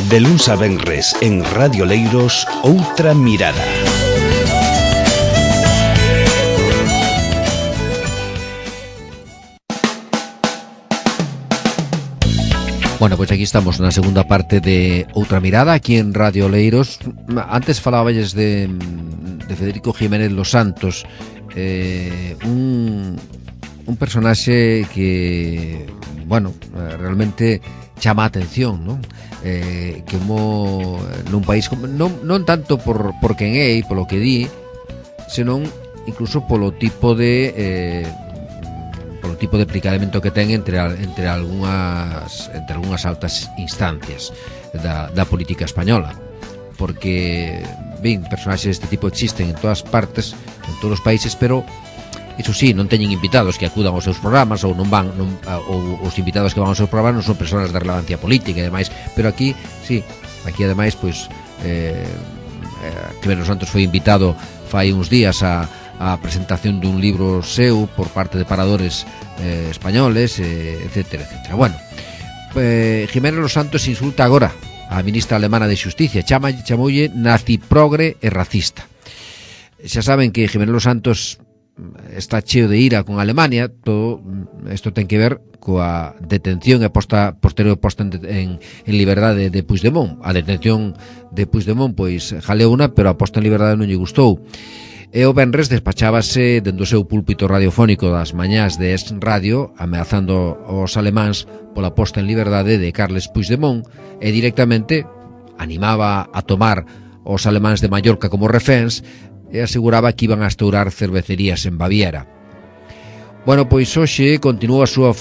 De luns a venres en Radio Leiros, Outra Mirada. Bueno, pois aquí estamos na segunda parte de Outra Mirada, aquí en Radio Leiros. Antes faláballes de Federico Jiménez Los Santos, un personaxe que, bueno, realmente chama a atención, non? Que nun país non tanto por quen é e polo que di, senón incluso polo tipo de aplicamento que ten entre algunhas altas instancias da política española, porque ben, personaxes deste tipo existen en todas partes, en todos os países, pero iso sí, non teñen invitados que acudan aos seus programas, ou ou os invitados que van aos seus programas non son persoas de relevancia política e demais, pero aquí, sí, aquí ademais, pois, Jiménez Los Santos foi invitado fai uns días a presentación dun libro seu por parte de paradores españoles, etcétera, etcétera. Bueno, Jiménez Los Santos insulta agora a ministra alemana de Xusticia, chamoulle naziprogre e racista. Xa saben que Jiménez Los Santos está cheo de ira con Alemania. Todo isto ten que ver coa detención e posterior posta en liberdade de Puigdemont. A detención de Puigdemont, pois, jaleuna, pero a posta en liberdade non lle gustou. E o venres despachábase dentro do seu púlpito radiofónico das mañás de Es Radio, ameazando aos alemáns pola posta en liberdade de Carles Puigdemont, e directamente animaba a tomar os alemáns de Mallorca como reféns e aseguraba que iban a estourar cervecerías en Baviera. Bueno, pois hoxe continúa a súa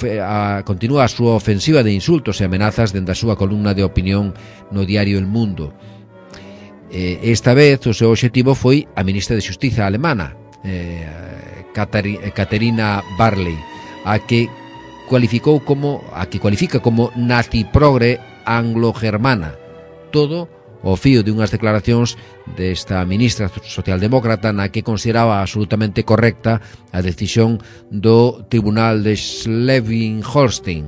ofensiva de insultos e amenazas dende a súa columna de opinión no diario El Mundo. Esta vez o seu obxectivo foi a ministra de Xustiza alemana, Katharina Barley, a que cualifica como naziprogre anglo-germana. Todo o fío de unhas declaracións desta ministra socialdemócrata na que consideraba absolutamente correcta a decisión do Tribunal de Schleswig-Holstein,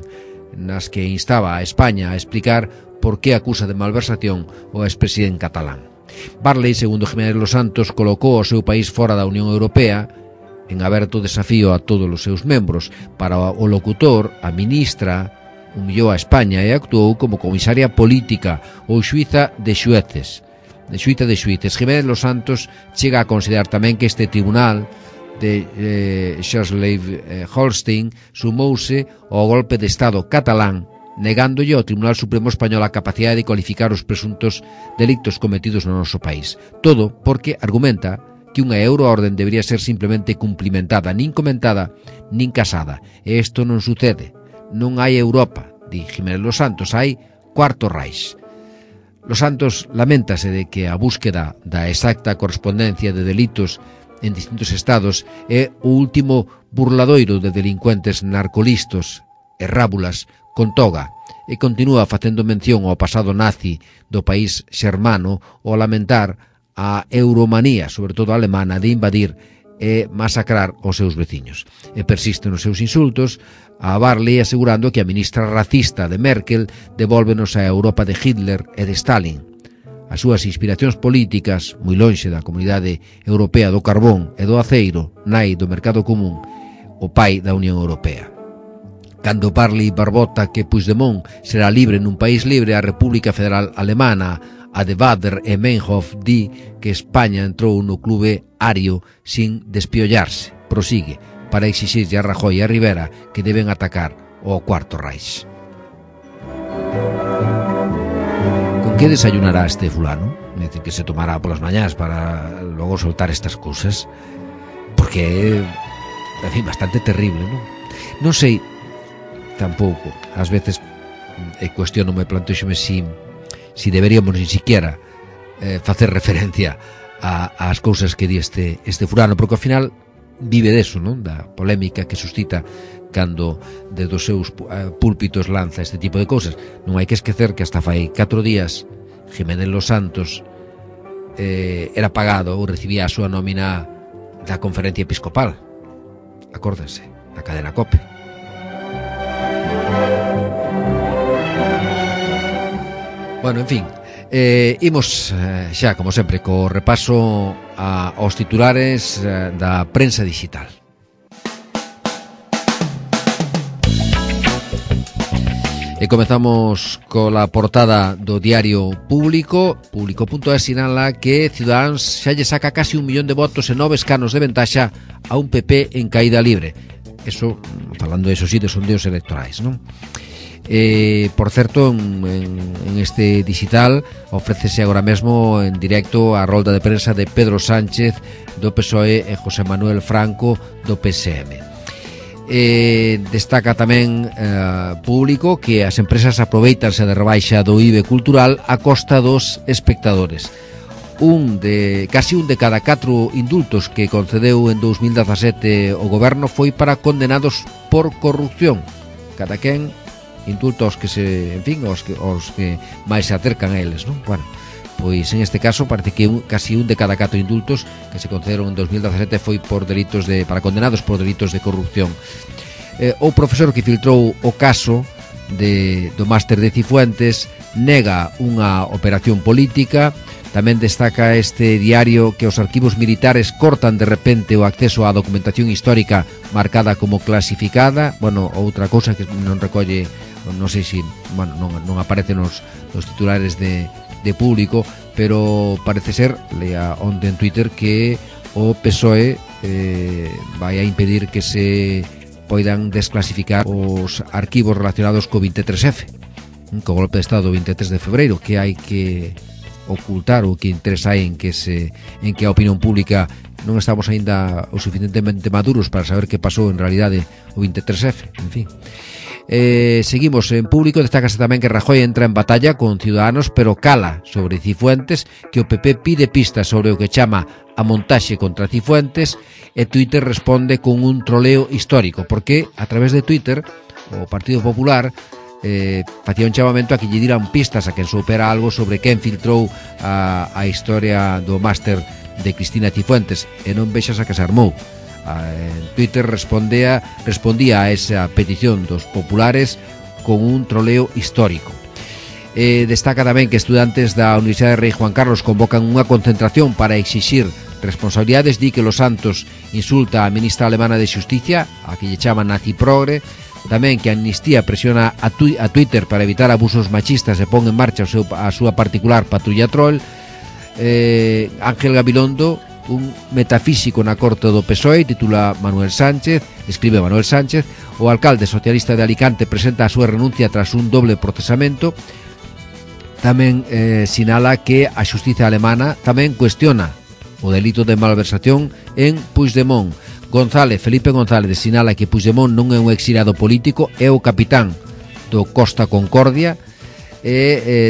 nas que instaba a España a explicar por que acusa de malversación o expresidente catalán. Barley, segundo Jiménez Los Santos, colocou o seu país fora da Unión Europea en aberto desafío a todos os seus membros. Para o locutor, a ministra humillou a España e actuou como comisaria política ou xuíza de xuíces. Jiménez Los Santos chega a considerar tamén que este tribunal de Schleswig-Holstein sumouse ao golpe de Estado catalán, negándolle ao Tribunal Supremo Español a capacidade de cualificar os presuntos delictos cometidos no noso país. Todo porque argumenta que unha euroorden debería ser simplemente cumplimentada, nin comentada, nin casada. E isto non sucede. Non hai Europa, di Jiménez Los Santos, hai Cuarto Reich. Los Santos laméntase de que a búsqueda da exacta correspondencia de delitos en distintos estados é o último burladoiro de delincuentes narcolistos e rábulas con toga, e continúa facendo mención ao pasado nazi do país xermano ao lamentar a euromanía, sobre todo alemana, de invadir e masacrar os seus veciños. E persiste nos seus insultos a Barley, asegurando que a ministra racista de Merkel devólvenos a Europa de Hitler e de Stalin. As súas inspiracións políticas, moi lonxe da Comunidade Europea do Carbón e do Aceiro, nai do Mercado Común, o pai da Unión Europea. Cando Barley barbota que Puigdemont será libre nun país libre, a República Federal Alemana, a de Bader e Meinhof, di que España entrou no clube ario sin despiollarse. Prosigue para exixirlle a Rajoy e a Rivera que deben atacar o Cuarto Reich. Con que desayunará este fulano? É dicir, que se tomará polas mañás para logo soltar estas cousas, porque en fin, bastante terrible, non? Non sei tampouco, ás veces cuestiono-me, plantexome si deberíamos ni siquiera facer referencia ás cousas que di este fulano, porque ao final vive deso, non? Da polémica que suscita cando desde os seus púlpitos lanza este tipo de cousas. Non hai que esquecer que hasta fai 4 días Jiménez Los Santos era pagado ou recibía a súa nómina da Conferencia Episcopal. Acórdense, na cadena COPE. Bueno, en fin, imos xa, como sempre, co repaso aos titulares da prensa digital. E comezamos cola portada do diario Público. Público.es sinala que Ciudadanos xa lle saca casi 1 millón de votos en 9 escanos de ventaxa a un PP en caída libre. Eso, falando de esos sí, de sondeos electorais, non? Por certo, en este digital ofrécese agora mesmo en directo a rolda de prensa de Pedro Sánchez do PSOE e José Manuel Franco do PSM. Destaca tamén Público que as empresas aproveitanse de rebaixa do IBE cultural a costa dos espectadores. Casi un de cada 4 indultos que concedeu en 2017 o goberno foi para condenados por corrupción. Cada quen indultos que os que máis se acercan a eles, non? Bueno, pois en este caso parece que casi un de cada 4 indultos que se concederon en 2017 foi por delitos para condenados por delitos de corrupción. O profesor que filtrou o caso do máster de Cifuentes nega unha operación política. Tamén destaca este diario que os arquivos militares cortan de repente o acceso á documentación histórica marcada como clasificada. Bueno, outra cousa que non recolle, non sei se, bueno, non aparece nos titulares de Público, pero parece ser, lea onde en Twitter, que o PSOE vai a impedir que se poidan desclasificar os arquivos relacionados co 23F, co golpe de Estado do 23 de febreiro, que hai que ocultar ou que interesa en que a opinión pública non estamos aínda o suficientemente maduros para saber que pasou en realidade o 23F, en fin. Seguimos en Público. Destácase tamén que Rajoy entra en batalla con Ciudadanos, pero cala sobre Cifuentes, que o PP pide pistas sobre o que chama a montaxe contra Cifuentes, e Twitter responde con un troleo histórico, porque a través de Twitter o Partido Popular facía un chamamento a que lle diran pistas a quen soupera algo sobre quen filtrou a historia do máster de Cristina Cifuentes, e non vexas a que se armou. En Twitter respondía a esa petición dos populares con un troleo histórico. Destaca tamén que estudantes da Universidade Rei Juan Carlos convocan unha concentración para exixir responsabilidades. Di que Los Santos insulta a ministra alemana de Xusticia, a que lle chama nazi progre. Tamén que Amnistía presiona a Twitter para evitar abusos machistas e pon en marcha a súa particular patrulla troll. Ángel Gabilondo, un metafísico na corte do PSOE, titula escribe Manuel Sánchez. O alcalde socialista de Alicante presenta a súa renuncia tras un doble procesamento. Tamén sinala que a xustiza alemana tamén cuestiona o delito de malversación en Puigdemont. Felipe González sinala que Puigdemont non é un exiliado político, é o capitán do Costa Concordia.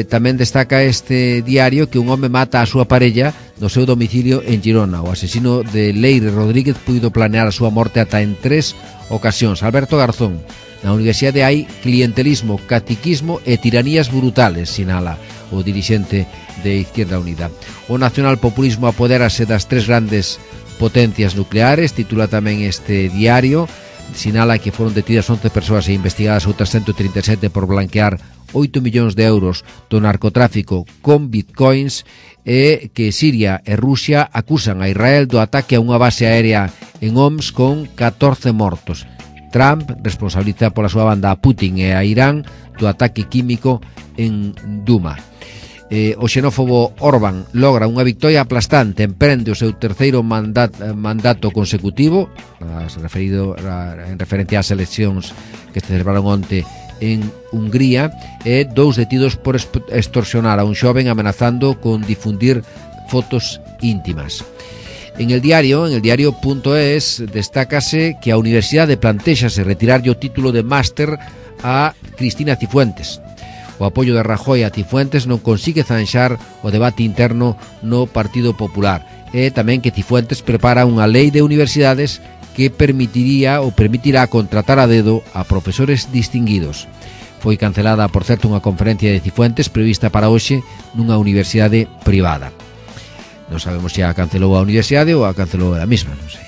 Tamén destaca este diario que un home mata a súa parella no seu domicilio en Girona. O asesino de Leire Rodríguez puido planear a súa morte ata en 3 ocasións. Alberto Garzón: na universidade hai clientelismo, caciquismo e tiranías brutales, sinala o dirixente de Izquierda Unida. O nacionalpopulismo apodérase das 3 grandes potencias nucleares, titula tamén este diario. Sinala que foron detidas 11 persoas e investigadas outras 137 por blanquear 8 millóns de euros do narcotráfico con bitcoins, e que Siria e Rusia acusan a Israel do ataque a unha base aérea en Homs con 14 mortos. Trump responsabiliza pola súa banda a Putin e a Irán do ataque químico en Duma. O xenófobo Orbán logra unha victoria aplastante, emprende o seu terceiro mandato consecutivo, en referencia ás eleccións que se celebraron onte en Hungría, e 2 detidos por extorsionar a un xoven amenazando con difundir fotos íntimas. En el diario.es destácase que a universidade plantéxase retirarlle o título de máster a Cristina Cifuentes. O apoio de Rajoy a Cifuentes non consigue zanxar o debate interno no Partido Popular, e tamén que Cifuentes prepara unha lei de universidades que permitirá contratar a dedo a profesores distinguidos. Foi cancelada, por certo, unha conferencia de Cifuentes prevista para hoxe nunha universidade privada. Non sabemos se a cancelou a universidade ou a cancelou a mesma, non sei.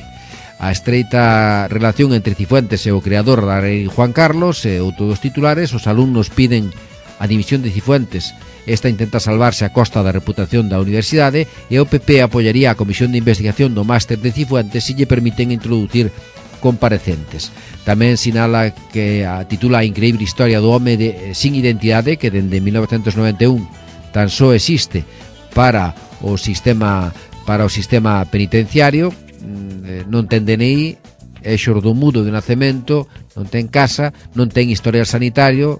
A estreita relación entre Cifuentes e o creador da Rei Juan Carlos e outros dos titulares, os alumnos piden a dimisión de Cifuentes. Esta intenta salvarse a costa da reputación da universidade e o PP apoiaría a comisión de investigación do máster de Cifuentes se lle permiten introducir comparecentes. Tamén sinala que titula a increíble historia do home sin identidade que dende 1991 tan só existe para o sistema penitenciario, non ten DNI, é xordomudo de nacemento, non ten casa, non ten historial sanitario,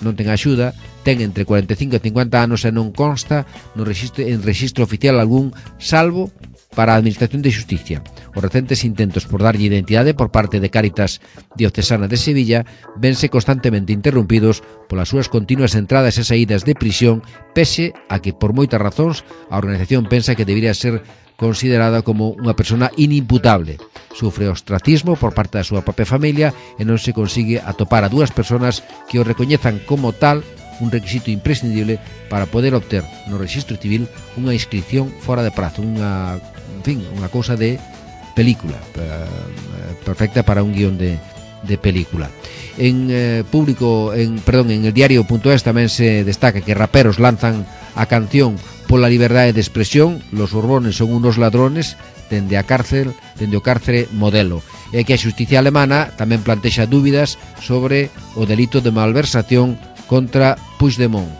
non ten axuda, ten entre 45 e 50 anos e non consta en registro oficial algún, salvo para a Administración de Xusticia. Os recentes intentos por darlle identidade por parte de Cáritas Diocesana de Sevilla vense constantemente interrompidos polas súas continuas entradas e saídas de prisión, pese a que por moitas razóns a organización pensa que debería ser considerada como unha persona inimputable. Sufre ostracismo por parte da súa propia familia e non se consigue atopar a dúas persoas que o recoñezan como tal, un requisito imprescindible para poder obter no Rexistro Civil unha inscripción fora de prazo, unha cousa de película, perfecta para un guión de película. En el diario.es tamén se destaca que raperos lanzan a canción pola liberdade de expresión, los Borbones son unos ladrones, dende o cárcere modelo, e que a xusticia alemana tamén plantexa dúbidas sobre o delito de malversación contra Puigdemont.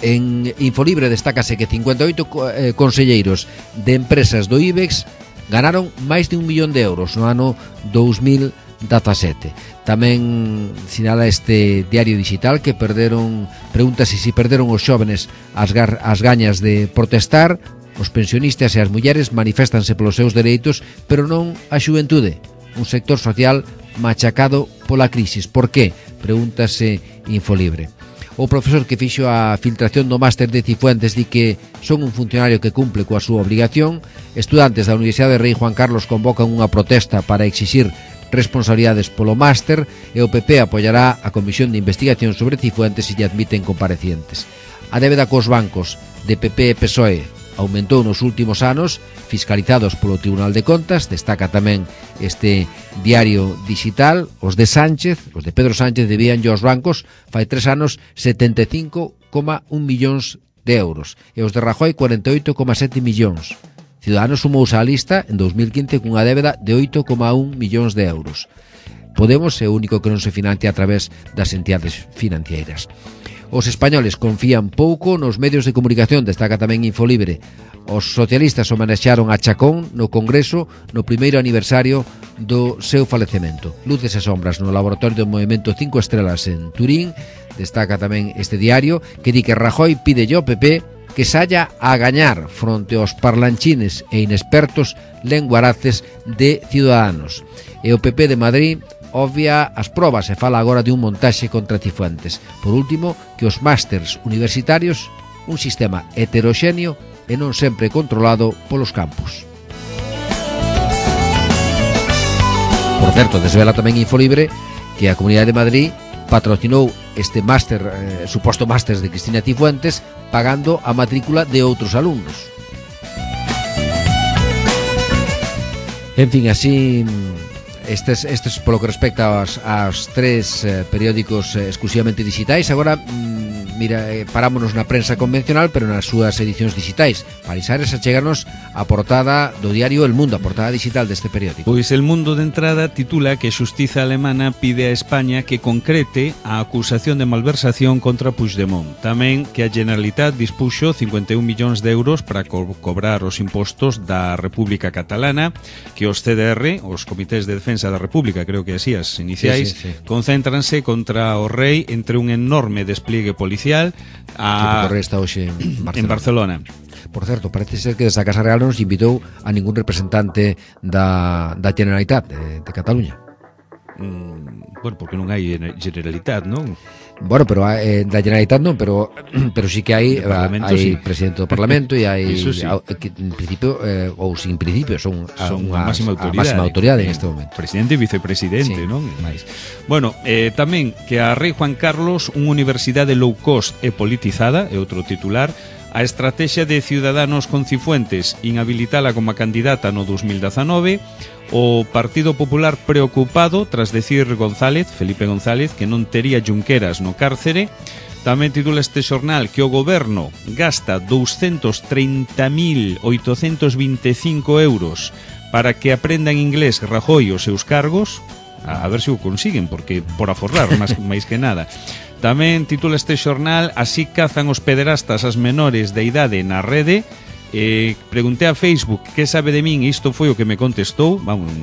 En Infolibre destácase que 58 conselleiros de empresas do IBEX ganaron máis de 1 millón de euros no ano 2017. Tamén sinala este diario digital que pregúntase se perderon os xóvenes as gañas de protestar. Os pensionistas e as mulleres maniféstanse polos seus dereitos, pero non a xuventude, un sector social machacado pola crisis. Por qué? Pregúntase Infolibre. O profesor que fixo a filtración do máster de Cifuentes di que son un funcionario que cumple coa súa obligación. Estudantes da Universidade Rei Juan Carlos convocan unha protesta para exixir responsabilidades polo máster e o PP apoiará a comisión de investigación sobre Cifuentes se lle admiten comparecientes. A débeda cos bancos de PP e PSOE aumentou nos últimos anos, fiscalizados polo Tribunal de Contas. Destaca tamén este diario digital. Os de Pedro Sánchez debían aos bancos fai 3 anos 75,1 millóns de euros e os de Rajoy 48,7 millóns. Ciudadanos sumouse á lista en 2015 cunha débeda de 8,1 millóns de euros. Podemos é o único que non se financia a través das entidades financeiras. Os españoles confían pouco nos medios de comunicación, destaca tamén Infolibre. Os socialistas homenaxearon a Chacón no Congreso no primeiro aniversario do seu falecemento. Luces e sombras no laboratorio do Movemento 5 Estrelas en Turín. Destaca tamén este diario que di que Rajoy pide ao PP que saia a gañar fronte aos parlanchines e inexpertos lenguaraces de Ciudadanos. E o PP de Madrid obvia as probas e fala agora de un montaxe contra Cifuentes. Por último, que os másters universitarios, un sistema heteroxéneo e non sempre controlado polos campus. Por certo, desvela tamén Infolibre que a Comunidade de Madrid patrocinou este máster, suposto máster de Cristina Cifuentes, pagando a matrícula de outros alumnos. En fin, así estes polo que respecta aos 3 periódicos exclusivamente digitais. Agora, parámonos na prensa convencional, pero nas súas edicións digitais. Palisares acheganos a portada do diario El Mundo, a portada digital deste periódico. Pois El Mundo de entrada titula que a Xustiza alemana pide a España que concrete a acusación de malversación contra Puigdemont. Tamén que a Generalitat dispuxo 51 millóns de euros para cobrar os impostos da República Catalana, que os CDR, os Comités de Defensa da República, creo que así as iniciais, sí. Concéntranse contra o rei entre un enorme despliegue policial o rei está hoxe en Barcelona. Por certo, parece ser que desa Casa Real non se invitou a ningún representante da Generalitat de Cataluña. Bueno, porque non hai Generalitat, non? Bueno, pero da Generalitat non, pero sí que hai sí. Presidente do Parlamento e hai sí. En principio ou sin principio son a máxima autoridade en este momento. Presidente e vicepresidente, sí. Non? Bueno, tamén que a Rei Juan Carlos, unha universidade low cost e politizada, é outro titular. A estrategia de Ciudadanos con Cifuentes inhabilitala como candidata no 2019. O Partido Popular preocupado tras decir Felipe González, que non tería Junqueras no cárcere. Tamén titula este xornal que o goberno gasta 230.825 euros para que aprendan inglés Rajoy os seus cargos. A ver se o consiguen, porque por aforrar máis que nada. Tamén titula este xornal: así cazan os pederastas as menores de idade na rede. Preguntei a Facebook que sabe de min, isto foi o que me contestou. Vamos,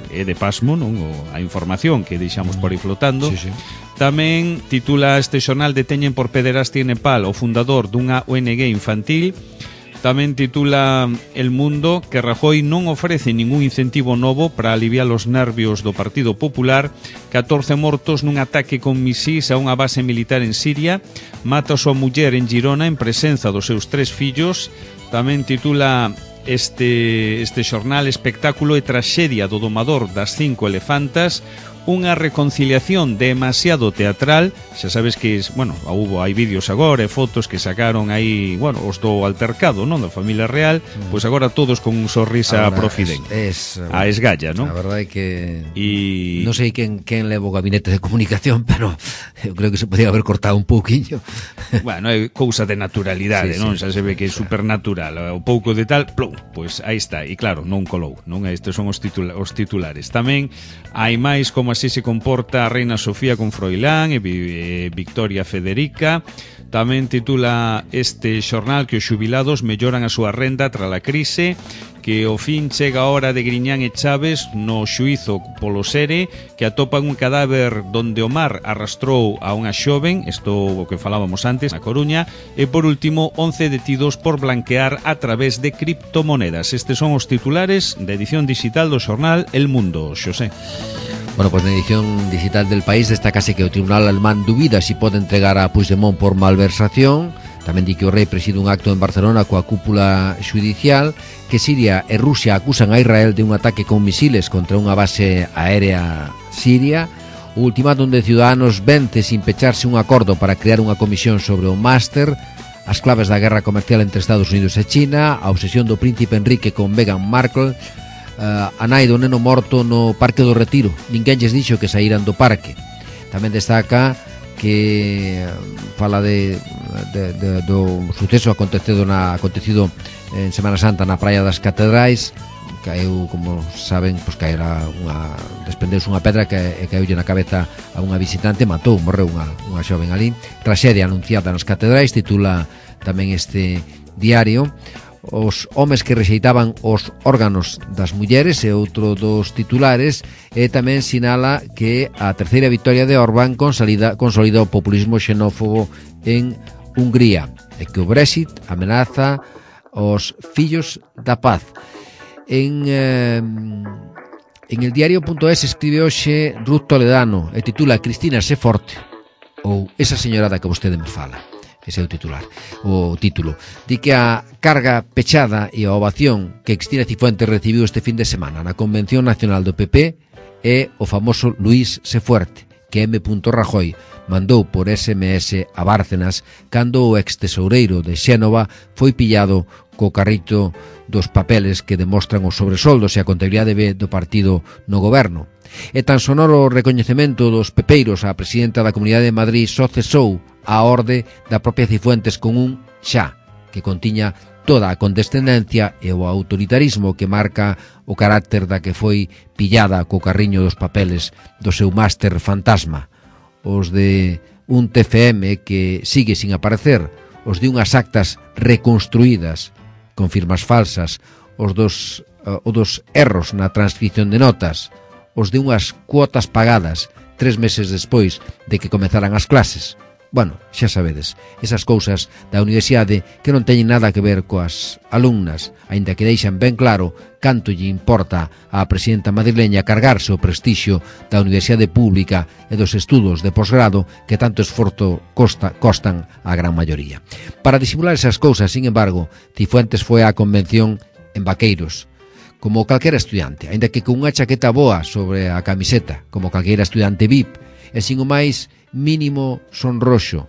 é de pasmo, non? A información que deixamos por aí flotando. Sí, sí. Tamén titula este xornal: deteñen por pederastia en Nepal o fundador dunha ONG infantil. Tamén titula El Mundo que Rajoy non ofrece ningún incentivo novo para aliviar os nervios do Partido Popular. 14 mortos nun ataque con misís a unha base militar en Siria. Mata a súa muller en Girona en presenza dos seus 3 fillos. Tamén titula este xornal: espectáculo e traxedia do domador das 5 elefantas. Unha reconciliación demasiado teatral. Xa sabes que, bueno, hai vídeos agora e fotos que sacaron aí, bueno, os do altercado, non, da familia real, pois agora todos con un sorrisa profiden. A esgalla, non? A verdade é que non sei quen leva o gabinete de comunicación, pero eu creo que se podía haber cortado un pouquiño. Bueno, é cousa de naturalidade, non? Xa se ve que é supernatural. O pouco de tal, plum, pois aí está. E claro, non colou, non? Estes son os titulares. Tamén hai máis como así se comporta a reina Sofía con Froilán e Victoria Federica. Tamén titula este xornal que os xubilados melloran a súa renda tras a crise, que ao fin chega a hora de Griñán e Chaves no xuízo polo Sere, que atopan un cadáver donde o mar arrastrou a unha xoven, isto o que falábamos antes, na Coruña, e por último 11 detidos por blanquear a través de criptomonedas. Estes son os titulares da edición digital do xornal El Mundo, Xosé. Bueno, pues na edición digital del País destacase que o Tribunal Alemán dubida si pode entregar a Puigdemont por malversación. Tamén di que o rei preside un acto en Barcelona coa cúpula xudicial, que Siria e Rusia acusan a Israel de un ataque con misiles contra unha base aérea siria. O ultimátum de Ciudadanos vence sin pecharse un acordo para crear unha comisión sobre o máster, as claves da guerra comercial entre Estados Unidos e China, a obsesión do príncipe Enrique con Meghan Markle, a nai do neno morto no Parque do Retiro. Ninguén lles dixo que saíran do parque. Tamén destaca que fala do suceso acontecido en Semana Santa na Praia das Catedrais. Caeu, como saben, pois desprendeuse unha pedra que caeulle na cabeza a unha visitante, morreu unha xoven ali. Traxedia anunciada nas catedrais, titula tamén este diario. Os homes que rexeitaban os órganos das mulleres é outro dos titulares, e tamén sinala que a terceira victoria de Orbán consolida o populismo xenófobo en Hungría, e que o Brexit amenaza os fillos da paz. En el diario.es escribe hoxe Ruth Toledano e titula Cristina sé forte, ou esa señorada que vostede me fala. Ese é o título. Di que a carga pechada e a ovación que Cristina Cifuentes recibiu este fin de semana na Convención Nacional do PP é o famoso Luís sé fuerte, que M. Rajoy mandou por SMS a Bárcenas cando o ex-tesoureiro de Xénova foi pillado co carrito dos papeles que demostran os sobresoldos e a contabilidade do partido no goberno. E tan sonoro o recoñecemento dos pepeiros á presidenta da Comunidade de Madrid só cesou a orde da propia Cifuentes con un xa, que contiña toda a condescendencia e o autoritarismo que marca o carácter da que foi pillada co carriño dos papeles do seu máster fantasma. Os de un TFM que sigue sin aparecer, os de unhas actas reconstruídas con firmas falsas, os dos erros na transcripción de notas, os de unhas cuotas pagadas 3 meses despois de que comezaran as clases. Bueno, xa sabedes, esas cousas da universidade que non teñen nada que ver coas alumnas, aínda que deixan ben claro canto lle importa á presidenta madrileña cargarse o prestixio da universidade pública e dos estudos de posgrado que tanto esforzo costan á gran maioría. Para disimular esas cousas, sin embargo, Cifuentes foi á convención en vaqueiros, como calquera estudiante, aínda que con unha chaqueta boa sobre a camiseta, como calquera estudiante VIP, e sin o máis mínimo sonroxo.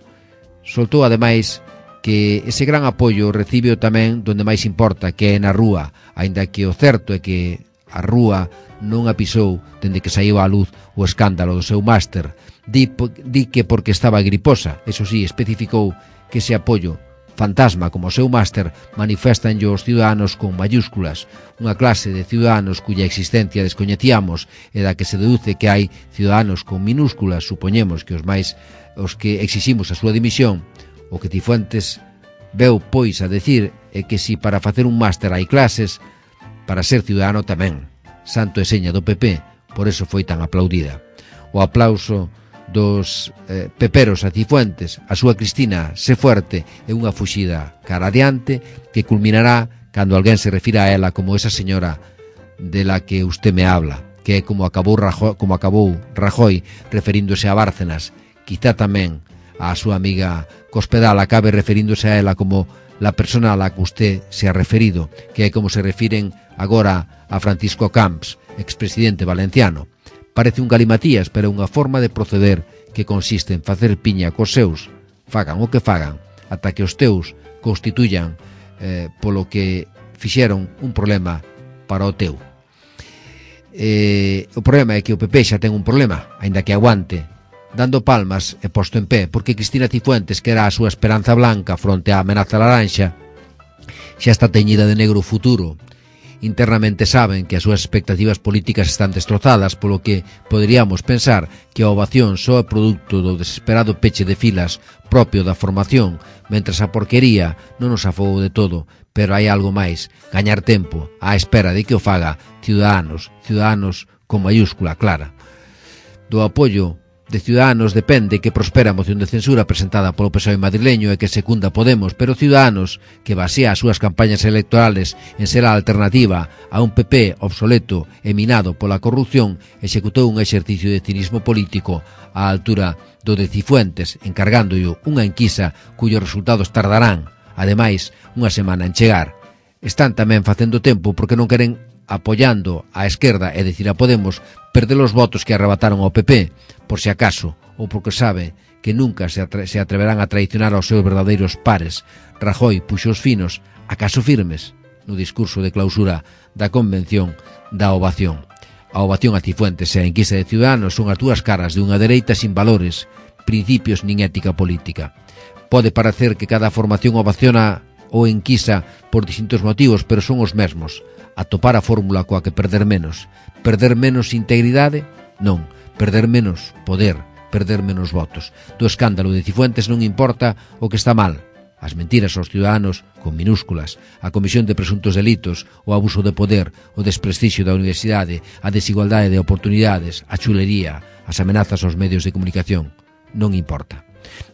Soltou ademais que ese gran apoio recibe tamén donde máis importa, que é na rúa, aínda que o certo é que a rúa non a pisou dende que saiu á luz o escándalo do seu máster. Di que porque estaba griposa, eso sí, especificou que ese apoio fantasma como o seu máster manifestanlle os ciudadanos con mayúsculas, unha clase de ciudadanos cuya existencia descoñecíamos e da que se deduce que hai ciudadanos con minúsculas, supoñemos que os que exiximos a súa dimisión. O que Cifuentes veu pois a decir é que si para facer un máster hai clases, para ser ciudadano tamén. Santo e seña do PP, por eso foi tan aplaudida. O aplauso dos peperos a Cifuentes, a súa Cristina sé fuerte e unha fuxida cara adiante que culminará cando alguén se refira a ela como esa señora de la que usted me habla, que é como acabou Rajoy referíndose a Bárcenas, quizá tamén a súa amiga Cospedal acabe referíndose a ela como la persona a la que usted se ha referido, que é como se refiren agora a Francisco Camps, expresidente valenciano. Parece un galimatías, pero é unha forma de proceder que consiste en facer piña cos seus, fagan o que fagan, ata que os teus constituyan polo que fixeron un problema para o teu. O problema é que o PP xa ten un problema, aínda que aguante, dando palmas e posto en pé, porque Cristina Cifuentes, que era a súa esperanza blanca fronte á amenaza laranxa, xa está teñida de negro o futuro. Internamente saben que as súas expectativas políticas están destrozadas, polo que poderíamos pensar que a ovación só é produto do desesperado peche de filas propio da formación, mentras a porquería non nos afogou de todo, pero hai algo máis, gañar tempo, á espera de que o faga Ciudadanos con mayúscula clara. Do apoio de Ciudadanos depende que prospera a moción de censura presentada polo PSOE madrileño e que secunda Podemos, pero Ciudadanos, que basea as súas campañas electorales en ser a alternativa a un PP obsoleto e minado pola corrupción, executou un exercicio de cinismo político á altura do de Cifuentes, encargándolle unha enquisa cuyos resultados tardarán, ademais, unha semana en chegar. Están tamén facendo tempo porque non queren, apoiando a esquerda, é dicir a Podemos, perder os votos que arrebataron ao PP, por si acaso, ou porque sabe que nunca se atreverán a traicionar aos seus verdadeiros pares. Rajoy puxo os finos, acaso firmes, no discurso de clausura da convención da ovación. A ovación a Cifuentes e a enquisa de Ciudadanos son as dúas caras de unha dereita sin valores, principios nin ética política. Pode parecer que cada formación ovaciona ou enquisa por distintos motivos, pero son os mesmos. Atopar a fórmula coa que perder menos. Perder menos integridade? Non. Perder menos poder, perder menos votos. Do escándalo de Cifuentes non importa o que está mal. As mentiras aos ciudadanos, con minúsculas, a comisión de presuntos delitos, o abuso de poder, o desprestixio da universidade, a desigualdade de oportunidades, a chulería, as amenazas aos medios de comunicación. Non importa.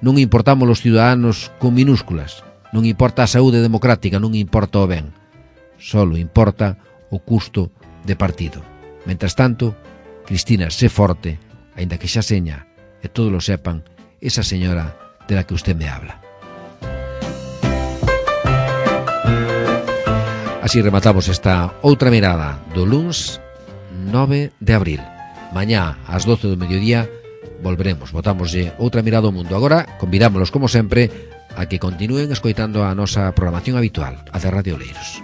Non importamos os ciudadanos con minúsculas. Non importa a saúde democrática, non importa o ben. Solo importa o custo de partido. Mentras tanto, Cristina, sé forte, aínda que xa seña, e todos lo sepan, esa señora de la que usted me habla. Así rematamos esta outra mirada do luns 9 de abril. Mañá, ás 12 do mediodía, volveremos, botámoslle outra mirada ao mundo. Agora, convidámolos, como sempre, a que continúen escoitando a nosa programación habitual, a de Radio Oleiros.